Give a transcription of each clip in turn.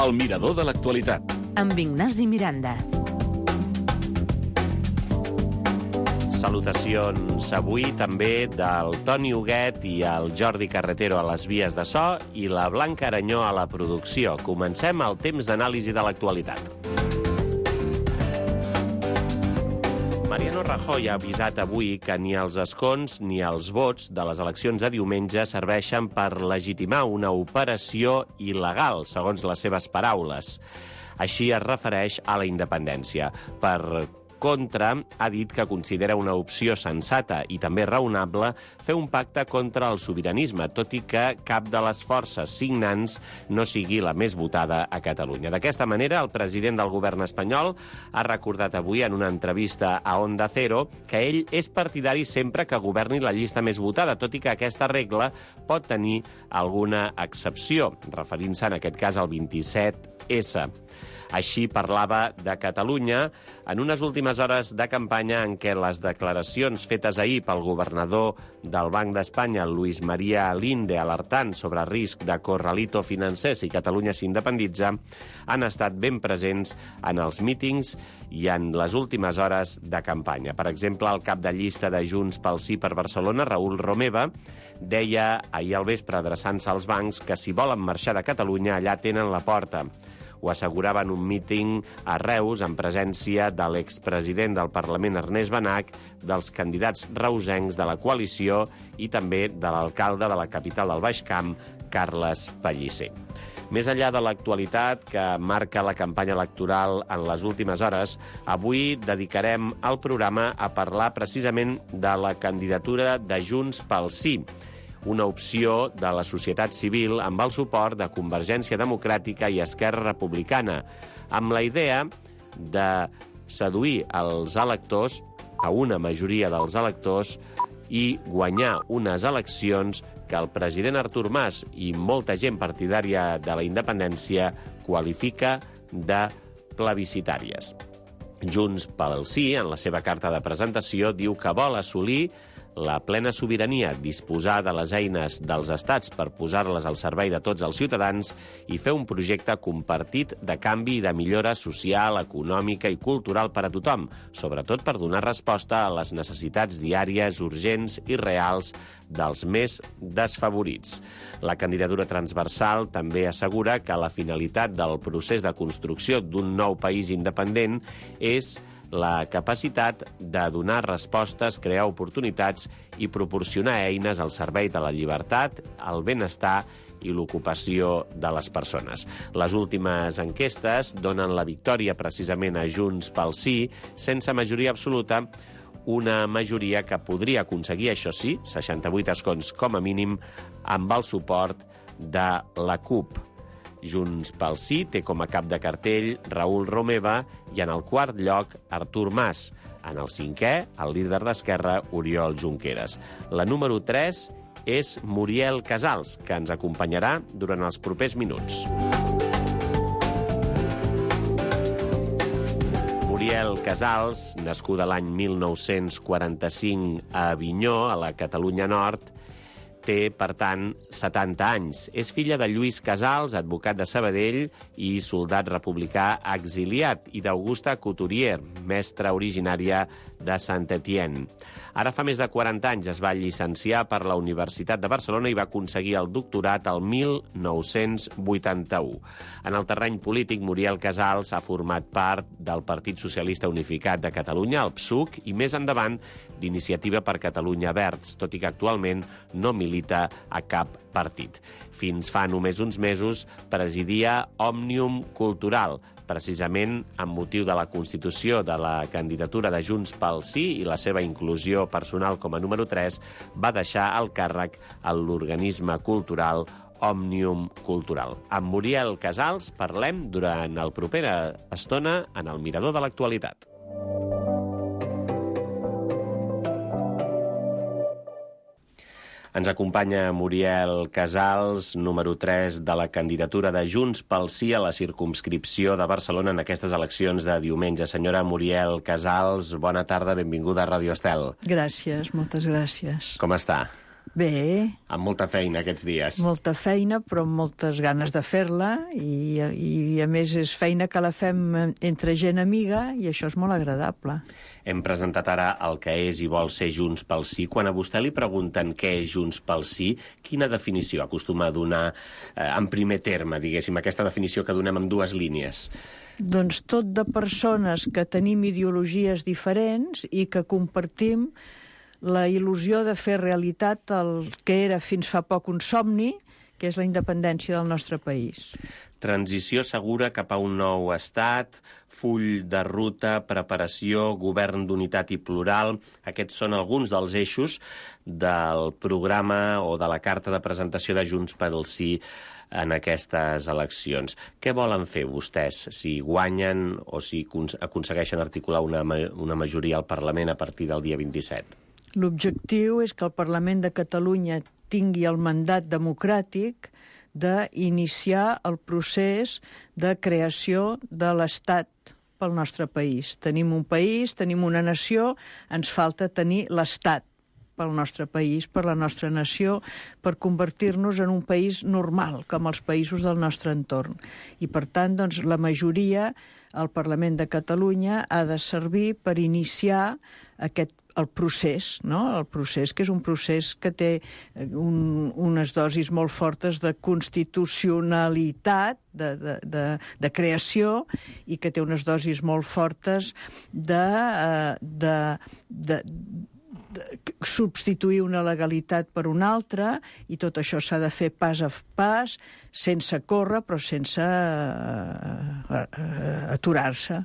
El mirador de l'actualitat. Amb Ignasi Miranda. Salutacions avui també del Toni Huguet i el Jordi Carretero a les vies de so i la Blanca Aranyó a la producció. Comencem el temps d'anàlisi de l'actualitat. Mariano Rajoy ha avisat avui que ni els escons ni els vots de les eleccions de diumenge serveixen per legitimar una operació il·legal, segons les seves paraules. Així es refereix a la independència. Per contra, ha dit que considera una opció sensata i també raonable fer un pacte contra el sobiranisme, tot i que cap de les forces signants no sigui la més votada a Catalunya. D'aquesta manera, el president del govern espanyol ha recordat avui en una entrevista a Onda Cero que ell és partidari sempre que governi la llista més votada, tot i que aquesta regla pot tenir alguna excepció, referint-se en aquest cas al 27S. Així parlava de Catalunya en unes últimes hores de campanya en què les declaracions fetes ahir pel governador del Banc d'Espanya, Luis María Linde, alertant sobre risc de corralito financer si Catalunya s'independitza, han estat ben presents en els mítings i en les últimes hores de campanya. Per exemple, el cap de llista de Junts pel Sí per Barcelona, Raül Romeva, deia ahir al vespre, adreçant-se als bancs, que si volen marxar de Catalunya, allà tenen la porta. Ho assegurava en un míting a Reus en presència de l'expresident del Parlament Ernest Benach, dels candidats reusencs de la coalició i també de l'alcalde de la capital del Baix Camp, Carles Pellicer. Més enllà de l'actualitat que marca la campanya electoral en les últimes hores, avui dedicarem el programa a parlar precisament de la candidatura de Junts pel Sí, una opció de la societat civil amb el suport de Convergència Democràtica i Esquerra Republicana, amb la idea de seduir els electors, a una majoria dels electors, i guanyar unes eleccions que el president Artur Mas i molta gent partidària de la independència qualifica de plebiscitàries. Junts pel Sí, en la seva carta de presentació, diu que vol assolir la plena sobirania, disposar de les eines dels estats per posar-les al servei de tots els ciutadans i fer un projecte compartit de canvi i de millora social, econòmica i cultural per a tothom, sobretot per donar resposta a les necessitats diàries, urgents i reals dels més desfavorits. La candidatura transversal també assegura que la finalitat del procés de construcció d'un nou país independent és la capacitat de donar respostes, crear oportunitats i proporcionar eines al servei de la llibertat, el benestar i l'ocupació de les persones. Les últimes enquestes donen la victòria precisament a Junts pel Sí, sense majoria absoluta, una majoria que podria aconseguir, això sí, 68 escons com a mínim, amb el suport de la CUP. Junts pel Sí té com a cap de cartell Raül Romeva i en el quart lloc Artur Mas. En el cinquè, el líder d'Esquerra, Oriol Junqueras. La número 3 és Muriel Casals, que ens acompanyarà durant els propers minuts. Muriel Casals, nascuda l'any 1945 a Avinyó, a la Catalunya Nord, té, per tant, 70 anys. És filla de Lluís Casals, advocat de Sabadell i soldat republicà exiliat, i d'Augusta Couturier, mestra originària de Saint-Étienne. Ara fa més de 40 anys es va llicenciar per la Universitat de Barcelona i va aconseguir el doctorat el 1981. En el terreny polític, Muriel Casals ha format part del Partit Socialista Unificat de Catalunya, el PSUC, i més endavant d'Iniciativa per Catalunya Verds, tot i que actualment no milita a cap partit. Fins fa només uns mesos presidia Òmnium Cultural, precisament amb motiu de la constitució de la candidatura de Junts pel Sí i la seva inclusió personal com a número 3, va deixar el càrrec a l'organisme cultural Òmnium Cultural. Amb Muriel Casals parlem durant la propera estona en el Mirador de l'Actualitat. Ens acompanya Muriel Casals, número 3 de la candidatura de Junts pel Sí a la circumscripció de Barcelona en aquestes eleccions de diumenge. Senyora Muriel Casals, bona tarda, benvinguda a Ràdio Estel. Gràcies, moltes gràcies. Com està? Bé. Amb molta feina aquests dies. Molta feina, però amb moltes ganes de fer-la i a més és feina que la fem entre gent amiga i això és molt agradable. Hem presentat ara el que és i vol ser Junts pel Sí. Quan a vostè li pregunten què és Junts pel Sí, quina definició acostuma a donar en primer terme, diguéssim, aquesta definició que donem en dues línies? Doncs tot de persones que tenim ideologies diferents i que compartim la il·lusió de fer realitat el que era fins fa poc un somni, que és la independència del nostre país. Transició segura cap a un nou estat, full de ruta, preparació, govern d'unitat i plural. Aquests són alguns dels eixos del programa o de la carta de presentació de Junts pel Sí en aquestes eleccions. Què volen fer vostès si guanyen o si aconsegueixen articular una majoria al Parlament a partir del dia 27? L'objectiu és que el Parlament de Catalunya tingui el mandat democràtic d'iniciar el procés de creació de l'Estat pel nostre país. Tenim un país, tenim una nació, ens falta tenir l'Estat pel nostre país, per la nostra nació, per convertir-nos en un país normal, com els països del nostre entorn. I, per tant, doncs, la majoria al Parlament de Catalunya ha de servir per iniciar el procés, no? El procés que és un procés que té unes dosis molt fortes de constitucionalitat, de creació, i que té unes dosis molt fortes de substituir una legalitat per una altra, i tot això s'ha de fer pas a pas, sense córrer, però sense aturar-se.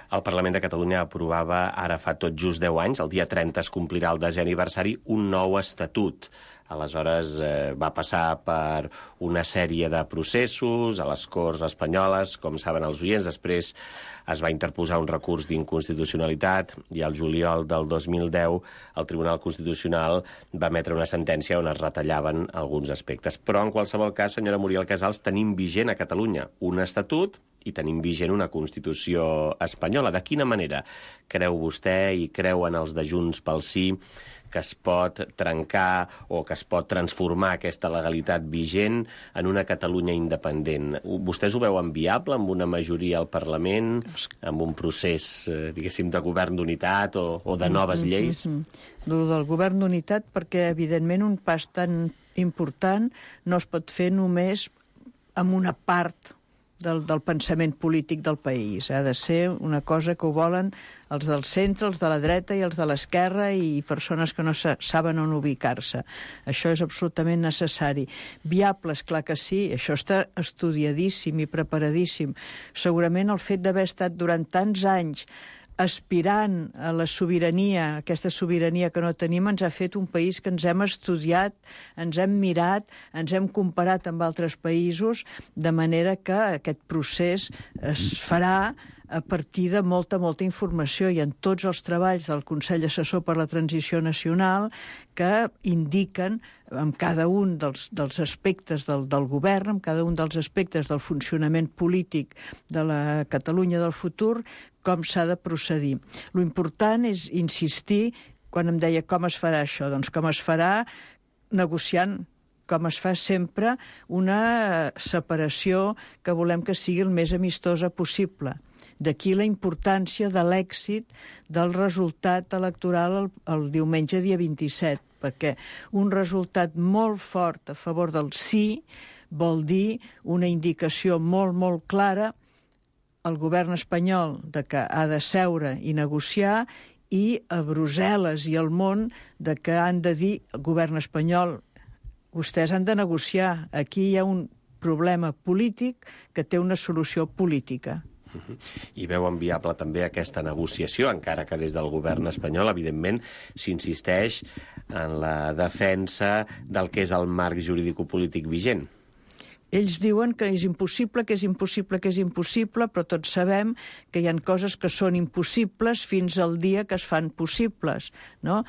El Parlament de Catalunya aprovava ara fa tot just 10 anys, el dia 30 es complirà el 10è aniversari, un nou estatut. Aleshores va passar per una sèrie de processos a les Corts espanyoles, com saben els oients. Després es va interposar un recurs d'inconstitucionalitat i al juliol del 2010 el Tribunal Constitucional va emetre una sentència on es retallaven alguns aspectes. Però en qualsevol cas, senyora Muriel Casals, tenim vigent a Catalunya un estatut i tenim vigent una Constitució espanyola. De quina manera creu vostè i creuen els de Junts pel Sí que es pot trencar o que es pot transformar aquesta legalitat vigent en una Catalunya independent? Vostès ho veuen viable amb una majoria al Parlament, amb un procés, diguéssim, de govern d'unitat o de noves lleis? El del govern d'unitat, perquè, evidentment, un pas tan important no es pot fer només amb una part del pensament polític del país. Ha de ser una cosa que ho volen els del centre, els de la dreta i els de l'esquerra i persones que no saben on ubicar-se. Això és absolutament necessari. Viable, esclar que sí, això està estudiadíssim i preparadíssim. Segurament el fet d'haver estat durant tants anys aspirant a la sobirania, aquesta sobirania que no tenim, ens ha fet un país que ens hem estudiat, ens hem mirat, ens hem comparat amb altres països, de manera que aquest procés es farà a partir de molta informació i en tots els treballs del Consell Assessor per la Transició Nacional que indiquen amb cada un dels aspectes del govern, amb cada un dels aspectes del funcionament polític de la Catalunya del futur, com s'ha de procedir. Lo important és insistir, quan em deia com es farà això, doncs com es farà negociant, com es fa sempre, una separació que volem que sigui el més amistosa possible. D'aquí la importància de l'èxit del resultat electoral el diumenge dia 27, perquè un resultat molt fort a favor del sí vol dir una indicació molt clara al govern espanyol de que ha de seure i negociar, i a Brussel·les i al món de que han de dir al govern espanyol: vostès han de negociar, aquí hi ha un problema polític que té una solució política. I veuen viable també aquesta negociació, encara que des del govern espanyol, evidentment, s'insisteix en la defensa del que és el marc jurídico-polític vigent. Ells diuen que és impossible, que és impossible, que és impossible, però tots sabem que hi ha coses que són impossibles fins al dia que es fan possibles, no?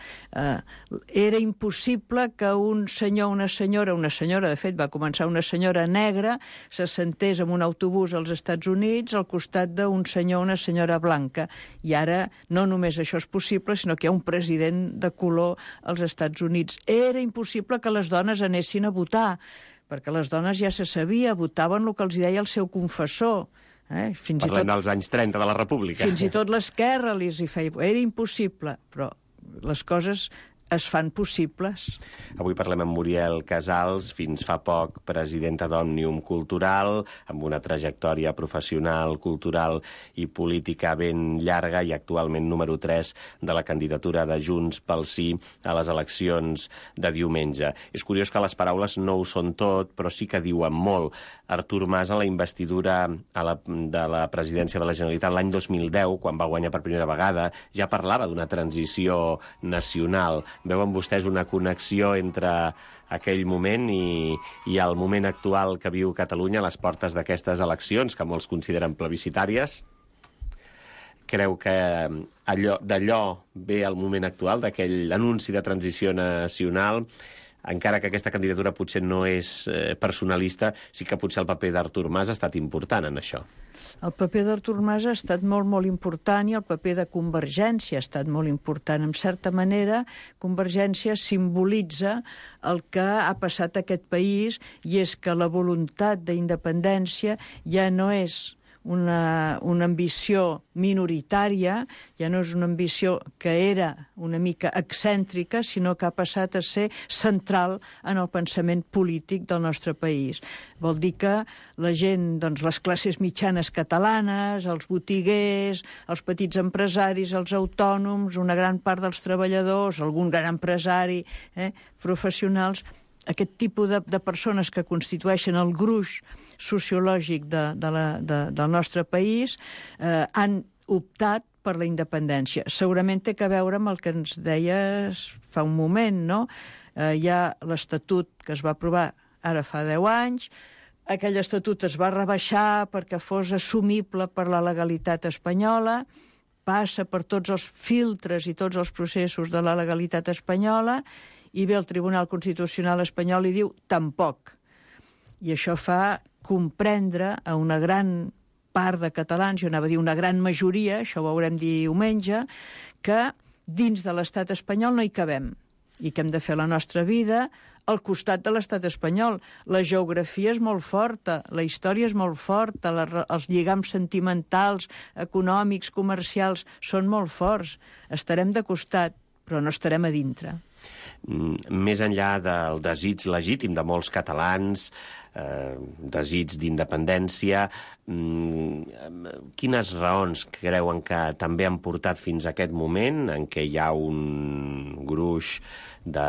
Era impossible que un senyor, una senyora, de fet, va començar una senyora negra, se sentés en un autobús als Estats Units al costat d'un senyor o una senyora blanca. I ara no només això és possible, sinó que hi ha un president de color als Estats Units. Era impossible que les dones anessin a votar, perquè les dones ja se sabia, votaven el que els deia el seu confessor. Parlem dels anys 30 de la República. Fins i tot l'esquerra hi feia... Era impossible, però les coses es fan possibles. Avui parlem amb Muriel Casals, fins fa poc presidenta d'Òmnium Cultural, amb una trajectòria professional, cultural i política ben llarga i actualment número 3 de la candidatura de Junts pel Sí a les eleccions de diumenge. És curiós que les paraules no ho són tot, però sí que diuen molt. Artur Mas, a la investidura de la presidència de la Generalitat l'any 2010, quan va guanyar per primera vegada, ja parlava d'una transició nacional. Veuen vostès una connexió entre aquell moment i el moment actual que viu Catalunya a les portes d'aquestes eleccions, que molts consideren plebiscitàries? Creu que d'allò ve el moment actual, d'aquell anunci de transició nacional? Encara que aquesta candidatura potser no és personalista, sí que potser el paper d'Artur Mas ha estat important en això. El paper d'Artur Mas ha estat molt, molt important, i el paper de Convergència ha estat molt important. En certa manera, Convergència simbolitza el que ha passat a aquest país, i és que la voluntat d'independència ja no és una ambició minoritària, ja no és una ambició que era una mica excèntrica, sinó que ha passat a ser central en el pensament polític del nostre país. Vol dir que la gent, doncs, les classes mitjanes catalanes, els botiguers, els petits empresaris, els autònoms, una gran part dels treballadors, algun gran empresari, professionals, aquest tipus de persones que constitueixen el gruix sociològic del nostre país han optat per la independència. Segurament té a veure amb el que ens deies fa un moment, no? Hi ha l'Estatut que es va aprovar ara fa 10 anys, aquell estatut es va rebaixar perquè fos assumible per la legalitat espanyola, passa per tots els filtres i tots els processos de la legalitat espanyola, i ve el Tribunal Constitucional espanyol i diu tampoc. I això fa comprendre a una gran part de catalans, jo anava a dir una gran majoria, això ho veurem diumenge, que dins de l'estat espanyol no hi cabem i que hem de fer la nostra vida al costat de l'estat espanyol. La geografia és molt forta, la història és molt forta, els lligams sentimentals, econòmics, comercials, són molt forts. Estarem de costat, però no estarem a dintre. Més enllà del desig legítim de molts catalans, desig d'independència, quines raons creuen que també han portat fins a aquest moment en què hi ha un gruix de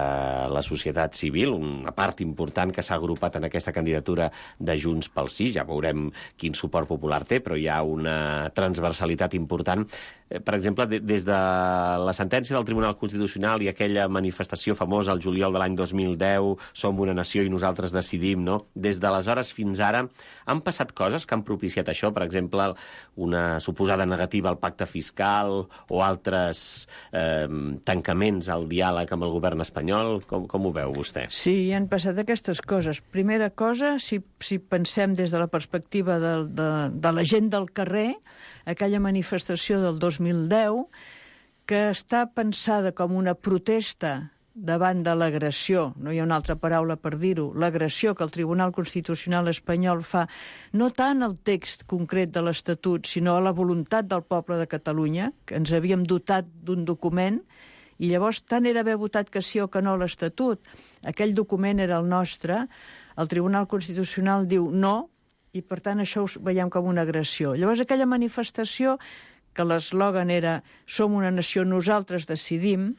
la societat civil, una part important que s'ha agrupat en aquesta candidatura de Junts pel Sí, ja veurem quin suport popular té, però hi ha una transversalitat important. Per exemple, des de la sentència del Tribunal Constitucional i aquella manifestació famosa al juliol de l'any 2010, som una nació i nosaltres decidim, no? Des d'aleshores fins ara han passat coses que han propiciat això, per exemple, una suposada negativa al pacte fiscal o altres tancaments al diàleg amb el govern espanyol. Com ho veu vostè? Sí, han passat aquestes coses. Primera cosa, si pensem des de la perspectiva de la gent del carrer, aquella manifestació del 2010, que està pensada com una protesta davant de l'agressió, no hi ha una altra paraula per dir-ho, l'agressió que el Tribunal Constitucional espanyol fa, no tant al text concret de l'Estatut, sinó a la voluntat del poble de Catalunya, que ens havíem dotat d'un document, i llavors tant era haver votat que sí o que no a l'Estatut. Aquell document era el nostre, el Tribunal Constitucional diu no, i per tant això ho veiem com una agressió. Llavors aquella manifestació, que l'eslògan era som una nació, nosaltres decidim,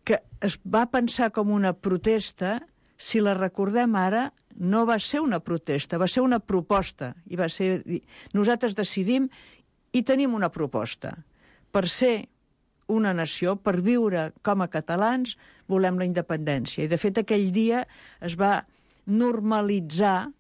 que es va pensar com una protesta, si la recordem ara, no va ser una protesta, va ser una proposta. I va ser nosaltres decidim i tenim una proposta. Per ser una nació, per viure com a catalans, volem la independència. I de fet aquell dia es va normalitzar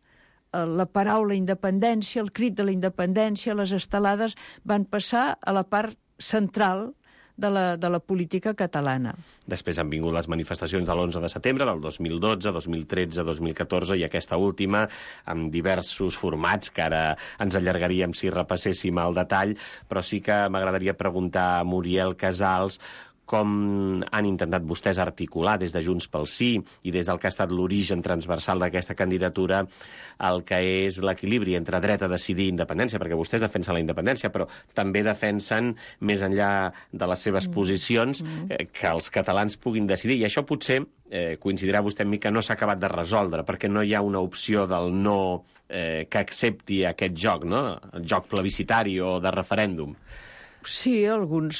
la paraula independència, el crit de la independència, les estelades van passar a la part central de la política catalana. Després han vingut les manifestacions de l'11 de setembre, del 2012, 2013, 2014 i aquesta última, amb diversos formats, que ara ens allargaríem si repasséssim al detall, però sí que m'agradaria preguntar a Muriel Casals com han intentat vostès articular des de Junts pel Sí i des del que ha estat l'origen transversal d'aquesta candidatura el que és l'equilibri entre dret a decidir i independència, perquè vostès defensen la independència, però també defensen, més enllà de les seves posicions, que els catalans puguin decidir. I això potser, coincidirà vostè amb mi, que no s'ha acabat de resoldre, perquè no hi ha una opció del no que accepti aquest joc, no? El joc plebiscitari o de referèndum. Sí, alguns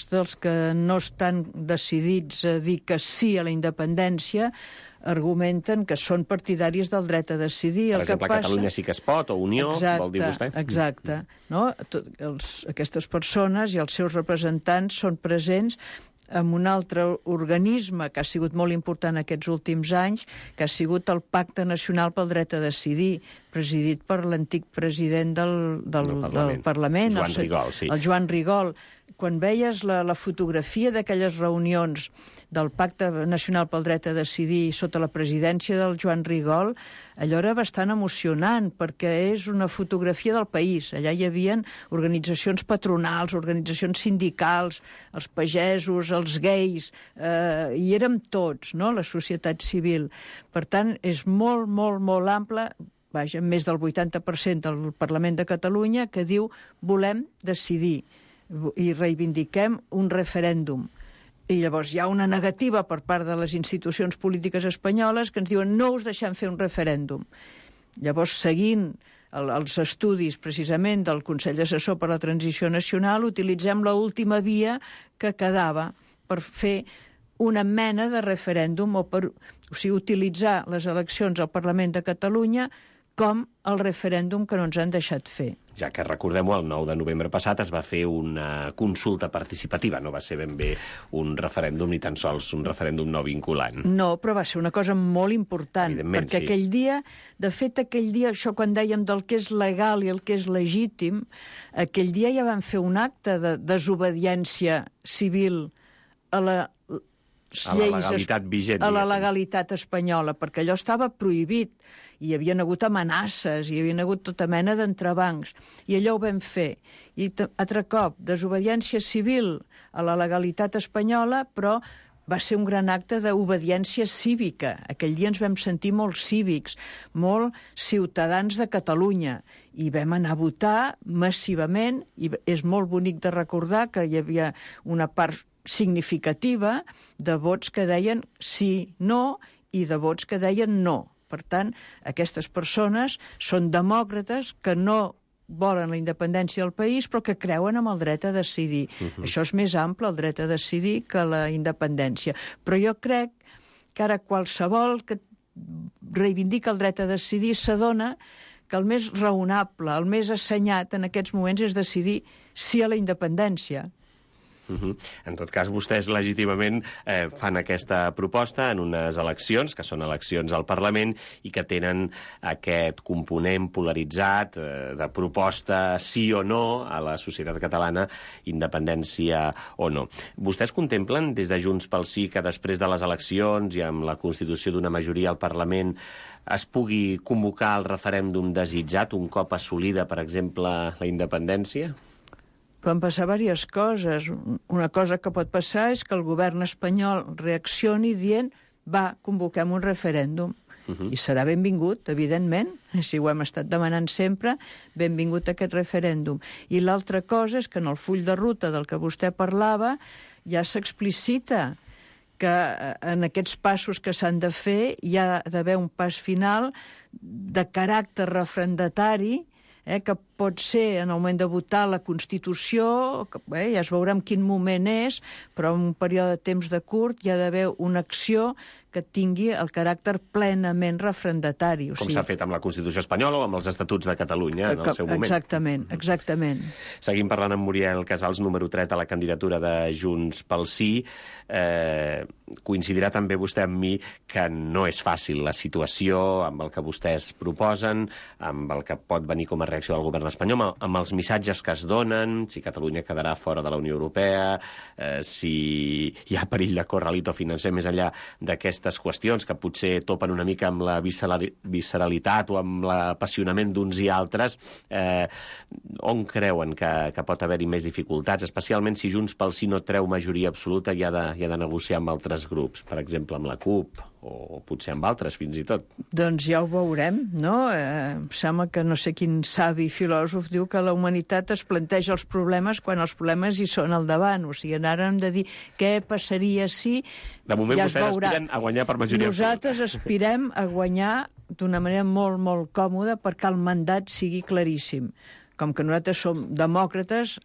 dels que no estan decidits a dir que sí a la independència argumenten que són partidaris del dret a decidir. Per exemple, Catalunya sí que es pot, o Unió, vol dir vostè? Exacte. No? Aquestes persones i els seus representants són presents amb un altre organisme que ha sigut molt important aquests últims anys, que ha sigut el Pacte Nacional pel Dret a Decidir, presidit per l'antic president del Parlament, Joan Rigol, sí. El Joan Rigol. Quan veies la fotografia d'aquelles reunions del Pacte Nacional pel Dret a Decidir sota la presidència del Joan Rigol, allò era bastant emocionant, perquè és una fotografia del país. Allà hi havia organitzacions patronals, organitzacions sindicals, els pagesos, els gais, hi érem tots, no?, la societat civil. Per tant, és molt, molt, molt ample, vaja, més del 80% del Parlament de Catalunya, que diu volem decidir i reivindiquem un referèndum. I llavors hi ha una negativa per part de les institucions polítiques espanyoles que ens diuen no us deixem fer un referèndum. Llavors, seguint els estudis precisament del Consell Assessor per a la Transició Nacional, utilitzem l'última via que quedava per fer una mena de referèndum, o sigui, utilitzar les eleccions al Parlament de Catalunya com el referèndum que no ens han deixat fer. Ja que recordem-ho, el 9 de novembre passat es va fer una consulta participativa, no va ser ben bé un referèndum ni tan sols un referèndum no vinculant. No, però va ser una cosa molt important, perquè sí. Aquell dia, de fet, això quan dèiem del que és legal i el que és legítim, aquell dia ja van fer un acte de desobediència civil a la legalitat vigent. A la legalitat espanyola, perquè allò estava prohibit. Hi havia hagut amenaces, hi havia hagut tota mena d'entrebancs. I allò ho vam fer. I altre cop, desobediència civil a la legalitat espanyola, però va ser un gran acte d'obediència cívica. Aquell dia ens vam sentir molt cívics, molt ciutadans de Catalunya. I vam anar a votar massivament, i és molt bonic de recordar que hi havia una part significativa de vots que deien sí, no, i de vots que deien no. Per tant, aquestes persones són demòcrates que no volen la independència del país, però que creuen en el dret a decidir. Això és més ample, el dret a decidir, que la independència. Però jo crec que ara qualsevol que reivindica el dret a decidir s'adona que el més raonable, el més assenyat en aquests moments és decidir sí a la independència. En tot cas, vostès legítimament fan aquesta proposta en unes eleccions, que són eleccions al Parlament, i que tenen aquest component polaritzat de proposta sí o no a la societat catalana, independència o no. Vostès contemplen, des de Junts pel Sí, que després de les eleccions i amb la constitució d'una majoria al Parlament es pugui convocar el referèndum desitjat un cop assolida, per exemple, la independència? Van passar diverses coses. Una cosa que pot passar és que el govern espanyol reaccioni dient va, convoquem un referèndum. I serà benvingut, evidentment, si ho hem estat demanant sempre, benvingut aquest referèndum. I l'altra cosa és que en el full de ruta del que vostè parlava ja s'explicita que en aquests passos que s'han de fer hi ha d'haver un pas final de caràcter referendatari, que pot ser en el moment de votar la Constitució, ja es veurà en quin moment és, però en un període de temps de curt hi ha d'haver una acció que tingui el caràcter plenament referendatari. Com s'ha fet amb la Constitució espanyola o amb els Estatuts de Catalunya en el seu moment. Exactament. Seguim parlant amb Muriel Casals, número 3 de la candidatura de Junts pel Sí. Coincidirà també vostè amb mi que no és fàcil la situació amb el que vostès proposen, amb el que pot venir com a reacció del govern espanyol, amb els missatges que es donen, si Catalunya quedarà fora de la Unió Europea, si hi ha perill de corralito financer més enllà d'aquestes qüestions que potser topen una mica amb la visceralitat o amb l'apassionament d'uns i altres. On creuen que pot haver-hi més dificultats, especialment si Junts pel Sí no treu majoria absoluta i ha de negociar amb altres grups, per exemple amb la CUP, o potser amb altres, fins i tot? Doncs ja ho veurem, no? Em sembla que no sé quin savi filòsof diu que la humanitat es planteja els problemes quan els problemes hi són al davant. O sigui, ara hem de dir què passaria si... De moment ja vostès aspiren a guanyar per majoria absoluta. Nosaltres aspirem a guanyar d'una manera molt, molt còmoda perquè el mandat sigui claríssim. Com que nosaltres som demòcrates...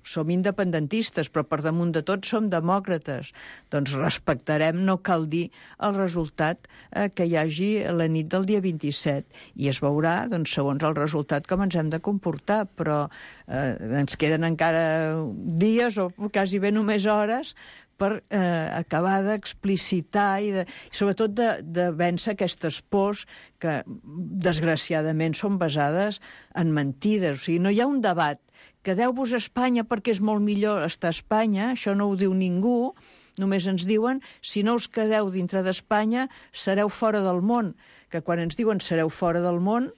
som independentistes, però per damunt de tot som demòcrates. Doncs respectarem, no cal dir, el resultat que hi hagi la nit del dia 27. I es veurà, doncs, segons el resultat, com ens hem de comportar. Però ens queden encara dies, o quasi bé només hores, per acabar d'explicitar i sobretot de vèncer aquestes pors que, desgraciadament, són basades en mentides. O sigui, no hi ha un debat. Quedeu-vos a Espanya perquè és molt millor estar a Espanya, això no ho diu ningú, només ens diuen si no us quedeu dintre d'Espanya sereu fora del món, que quan ens diuen sereu fora del món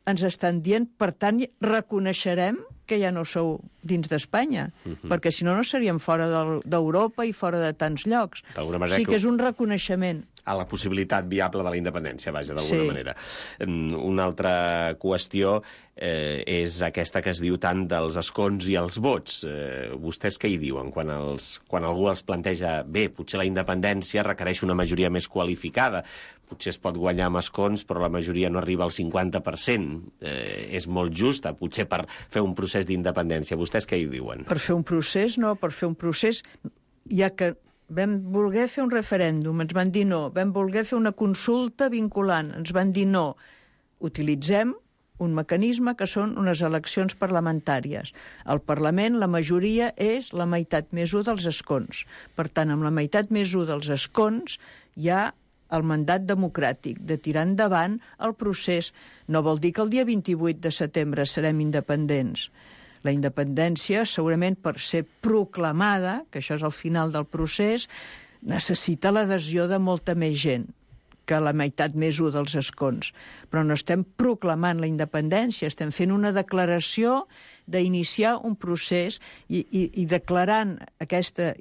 ens estan dient, per tant, reconeixerem que ja no sou dins d'Espanya, perquè si no, no seríem fora d'Europa i fora de tants llocs. Sí que és un reconeixement. A la possibilitat viable de la independència, vaja, d'alguna manera. Una altra qüestió és aquesta que es diu tant dels escons i els vots. Vostès què hi diuen quan algú els planteja bé, potser la independència requereix una majoria més qualificada, potser es pot guanyar amb escons, però la majoria no arriba al 50%. És molt justa, potser per fer un procés d'independència. Vostès què hi diuen? Per fer un procés, no. Per fer un procés, ja que vam voler fer un referèndum, ens van dir no. Vam voler fer una consulta vinculant, ens van dir no. Utilitzem un mecanisme que són unes eleccions parlamentàries. Al Parlament la majoria és la meitat més 1 dels escons. Per tant, amb la meitat més 1 dels escons hi ha el mandat democràtic de tirar endavant el procés. No vol dir que el dia 28 de setembre serem independents. La independència, segurament per ser proclamada, que això és el final del procés, necessita l'adhesió de molta més gent que la meitat més 1 dels escons. Però no estem proclamant la independència, estem fent una declaració d'iniciar un procés i declarant aquesta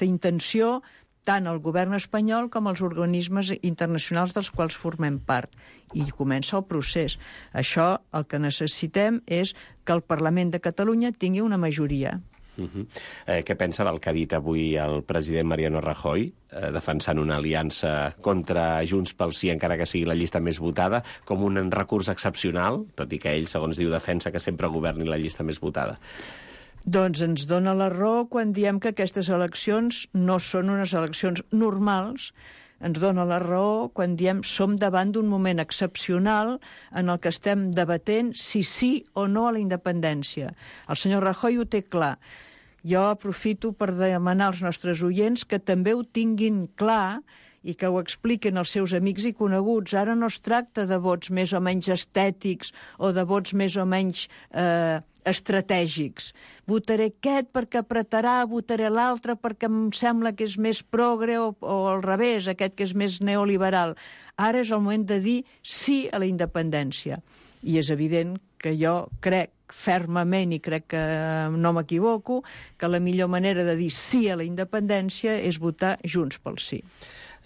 intenció tant el govern espanyol com els organismes internacionals dels quals formem part. I comença el procés. Això el que necessitem és que el Parlament de Catalunya tingui una majoria. Què pensa del que ha dit avui el president Mariano Rajoy, defensant una aliança contra Junts pel Sí, encara que sigui la llista més votada, com un recurs excepcional, tot i que ell, segons diu, defensa que sempre governi la llista més votada? Doncs ens dona la raó quan diem que aquestes eleccions no són unes eleccions normals. Ens dona la raó quan diem som davant d'un moment excepcional en el que estem debatent si sí o no a la independència. El senyor Rajoy ho té clar. Jo aprofito per demanar als nostres oients que també ho tinguin clar i que ho expliquen als seus amics i coneguts. Ara no es tracta de vots més o menys estètics o de vots més o menys estratègics. Votaré aquest perquè apretarà, votaré l'altre perquè em sembla que és més progre o al revés, aquest que és més neoliberal. Ara és el moment de dir sí a la independència. I és evident que jo crec fermament, i crec que no m'equivoco, que la millor manera de dir sí a la independència és votar Junts pel Sí.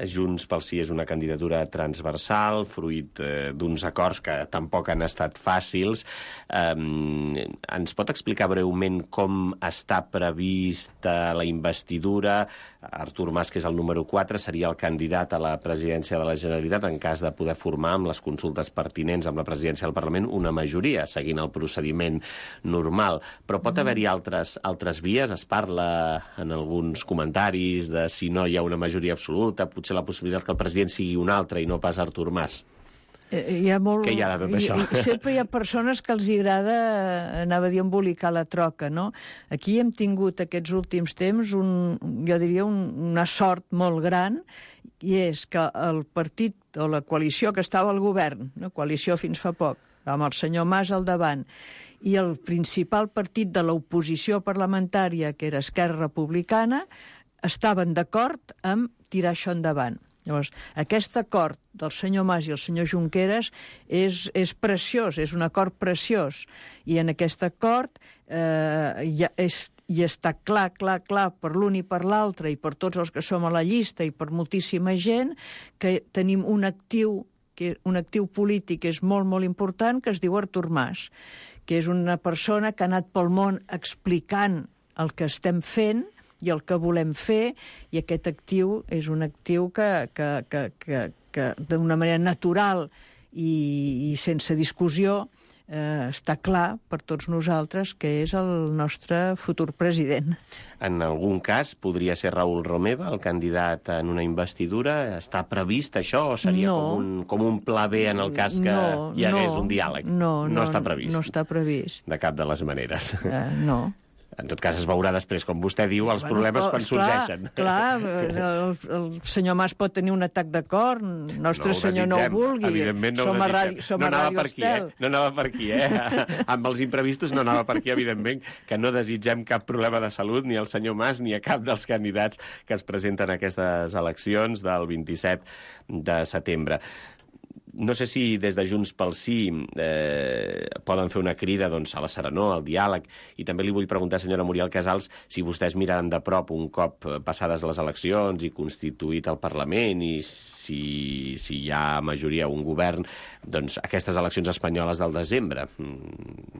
Junts pel Sí és una candidatura transversal, fruit d'uns acords que tampoc han estat fàcils. Ens pot explicar breument com està prevista la investidura? Artur Mas, que és el número 4, seria el candidat a la presidència de la Generalitat en cas de poder formar amb les consultes pertinents amb la presidència del Parlament una majoria, seguint el procediment normal. Però pot haver-hi altres vies? Es parla en alguns comentaris de si no hi ha una majoria absoluta, potser ser la possibilitat que el president sigui un altre i no pas Artur Mas. Hi ha molt... Què hi ha de tot això? Sempre hi ha persones que els agrada, anava a dir, embolicar la troca, no? Aquí hem tingut aquests últims temps, jo diria, una sort molt gran, i és que el partit o la coalició que estava al govern, no? Coalició fins fa poc, amb el senyor Mas al davant, i el principal partit de l'oposició parlamentària, que era Esquerra Republicana, estaven d'acord amb tirar això endavant. Llavors, aquest acord del senyor Mas i el senyor Junqueras és preciós, és un acord preciós. I en aquest acord hi està clar per l'un i per l'altre i per tots els que som a la llista i per moltíssima gent que tenim un actiu polític que és molt, molt important, que es diu Artur Mas, que és una persona que ha anat pel món explicant el que estem fent i el que volem fer, i aquest actiu és un actiu que d'una manera natural i sense discussió està clar per tots nosaltres que és el nostre futur president. En algun cas podria ser Raül Romeva el candidat en una investidura? Està previst això o seria com un pla B en el cas que hi hagués un diàleg? No està previst. No està previst. De cap de les maneres. No. En tot cas, es veurà després, com vostè diu, els problemes quan sorgeixen. Clar, el senyor Mas pot tenir un atac de cor, Nostre Senyor no ho vulgui. Evidentment no ho desitgem. No anava per aquí, Amb els imprevistos no anava per aquí, evidentment, que no desitgem cap problema de salut ni al senyor Mas ni a cap dels candidats que es presenten a aquestes eleccions del 27 de setembre. No sé si des de Junts pel Sí poden fer una crida a la serenor, al diàleg, i també li vull preguntar, senyora Muriel Casals, si vostès miraran de prop un cop passades les eleccions i constituït el Parlament i si hi ha majoria un govern, doncs aquestes eleccions espanyoles del desembre.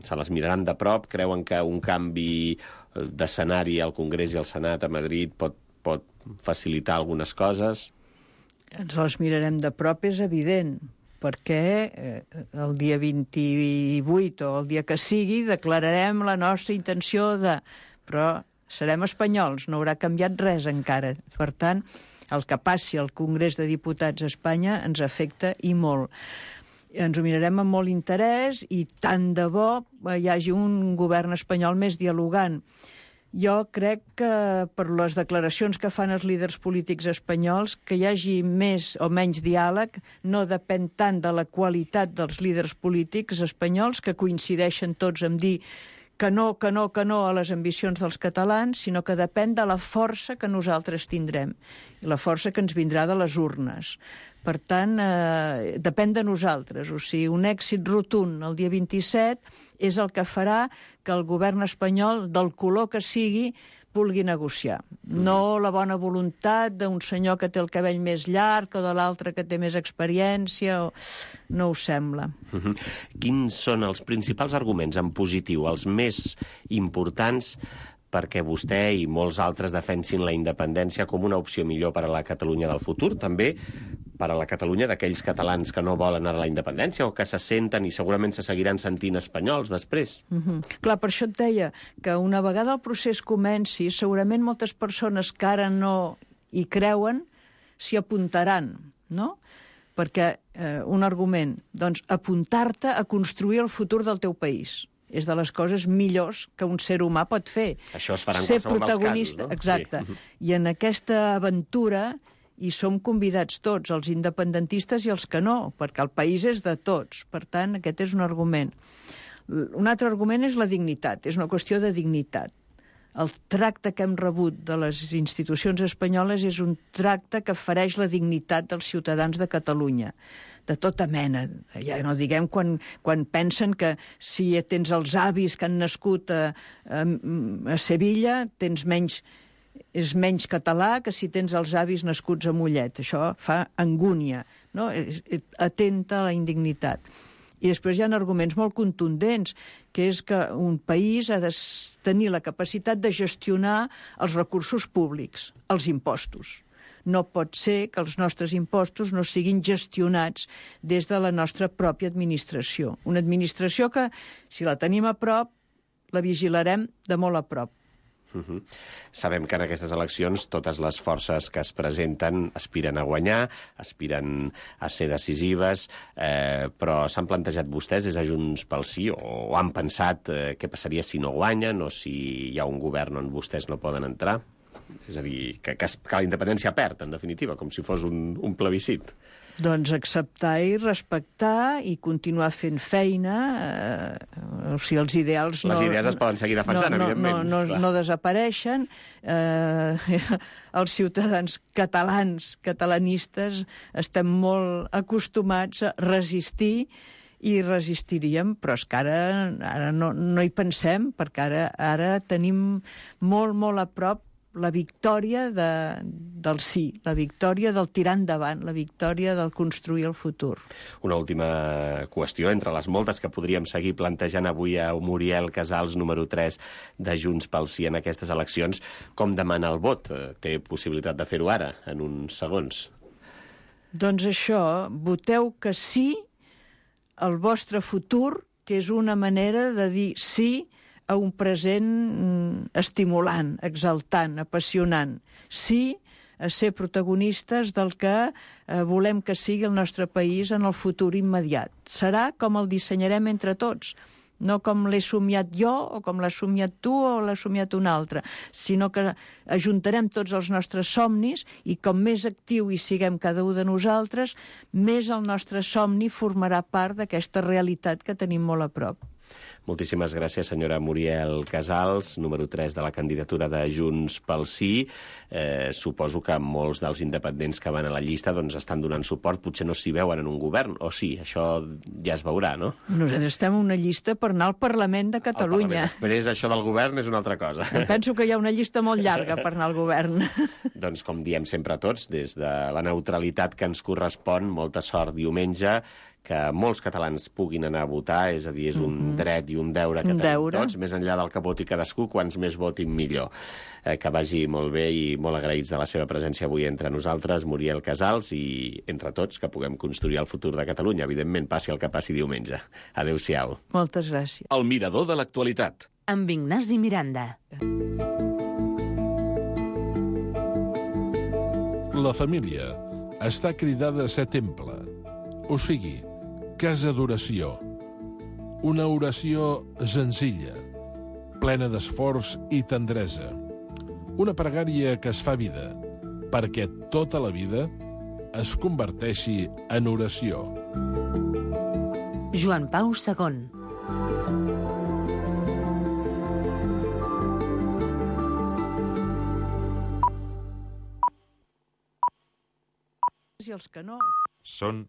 Se les miraran de prop? Creuen que un canvi d'escenari al Congrés i al Senat a Madrid pot facilitar algunes coses? Ens les mirarem de prop, és evident, perquè el dia 28 o el dia que sigui declararem la nostra intenció de... Però serem espanyols, no haurà canviat res encara. Per tant, el que passi al Congrés de Diputats a Espanya ens afecta i molt. Ens ho mirarem amb molt interès i tant de bo hi hagi un govern espanyol més dialogant. Jo crec que per les declaracions que fan els líders polítics espanyols, que hi hagi més o menys diàleg no depèn tant de la qualitat dels líders polítics espanyols, que coincideixen tots en dir que no a les ambicions dels catalans, sinó que depèn de la força que nosaltres tindrem, i la força que ens vindrà de les urnes. Per tant, depèn de nosaltres. O sigui, un èxit rotund el dia 27 és el que farà que el govern espanyol, del color que sigui, vulgui negociar. No la bona voluntat d'un senyor que té el cabell més llarg o de l'altre que té més experiència. No ho sembla. Quins són els principals arguments en positiu, els més importants, perquè vostè i molts altres defensin la independència com una opció millor per a la Catalunya del futur, també per a la Catalunya d'aquells catalans que no volen anar a la independència o que se senten i segurament se seguiran sentint espanyols després? Clar, per això et deia que una vegada el procés comenci, segurament moltes persones que ara no hi creuen s'hi apuntaran, no? Perquè un argument, doncs, apuntar-te a construir el futur del teu país és de les coses millors que un ser humà pot fer. Això es farà en qualsevol dels casos, no? Exacte. Sí. I en aquesta aventura hi som convidats tots, els independentistes i els que no, perquè el país és de tots. Per tant, aquest és un argument. Un altre argument és la dignitat, és una qüestió de dignitat. El tracte que hem rebut de les institucions espanyoles és un tracte que fereix la dignitat dels ciutadans de Catalunya, de tota mena. Ja no diguem quan pensen que si tens els avis que han nascut a Sevilla, és menys català que si tens els avis nascuts a Mollet. Això fa angúnia, no? Atenta a la indignitat. I després hi ha arguments molt contundents, que és que un país ha de tenir la capacitat de gestionar els recursos públics, els impostos. No pot ser que els nostres impostos no siguin gestionats des de la nostra pròpia administració. Una administració que, si la tenim a prop, la vigilarem de molt a prop. Sabem que en aquestes eleccions totes les forces que es presenten aspiren a guanyar, aspiren a ser decisives, però s'han plantejat vostès des de Junts pel Sí o han pensat què passaria si no guanyen o si hi ha un govern on vostès no poden entrar? És a dir, que la independència perd, en definitiva, com si fos un plebiscit. Doncs acceptar i respectar i continuar fent feina. O sigui, els ideals... Les idees es poden seguir defensant, evidentment. No desapareixen. Els ciutadans catalanistes, estem molt acostumats a resistir i resistiríem, però és que ara no hi pensem, perquè ara tenim molt, molt a prop la victòria del sí, la victòria del tirar endavant, la victòria del construir el futur. Una última qüestió, entre les moltes que podríem seguir plantejant avui a Muriel Casals, número 3 de Junts pel Sí en aquestes eleccions. Com demana el vot? Té possibilitat de fer-ho ara, en uns segons? Doncs això, voteu que sí al vostre futur, que és una manera de dir sí a un present estimulant, exaltant, apassionant. Sí a ser protagonistes del que volem que sigui el nostre país en el futur immediat. Serà com el dissenyarem entre tots, no com l'he somiat jo o com l'has somiat tu o l'ha somiat un altre, sinó que ajuntarem tots els nostres somnis i com més actiu hi siguem cada un de nosaltres, més el nostre somni formarà part d'aquesta realitat que tenim molt a prop. Moltíssimes gràcies, senyora Muriel Casals, número 3 de la candidatura de Junts pel Sí. Suposo que molts dels independents que van a la llista doncs, estan donant suport, potser no s'hi veuen en un govern, o sí, això ja es veurà, no? Nosaltres estem en una llista per anar al Parlament de Catalunya. Després, això del govern és una altra cosa. Penso que hi ha una llista molt llarga per anar al govern. Doncs, com diem sempre tots, des de la neutralitat que ens correspon, molta sort diumenge, que molts catalans puguin anar a votar, és a dir, és un dret i un deure que tenim tots, més enllà del que voti cadascú, quants més votin millor. Que vagi molt bé i molt agraïts de la seva presència avui entre nosaltres, Muriel Casals, i entre tots que puguem construir el futur de Catalunya, evidentment, passi el que passi diumenge. Adéu-siau. Moltes gràcies. El mirador de l'actualitat. Amb Ignasi Miranda. La família està cridada a ser temple, o sigui, casa d'oració. Una oració senzilla, plena d'esforç i tendresa. Una pregària que es fa vida, perquè tota la vida es converteixi en oració. Joan Pau II. I els que no... Són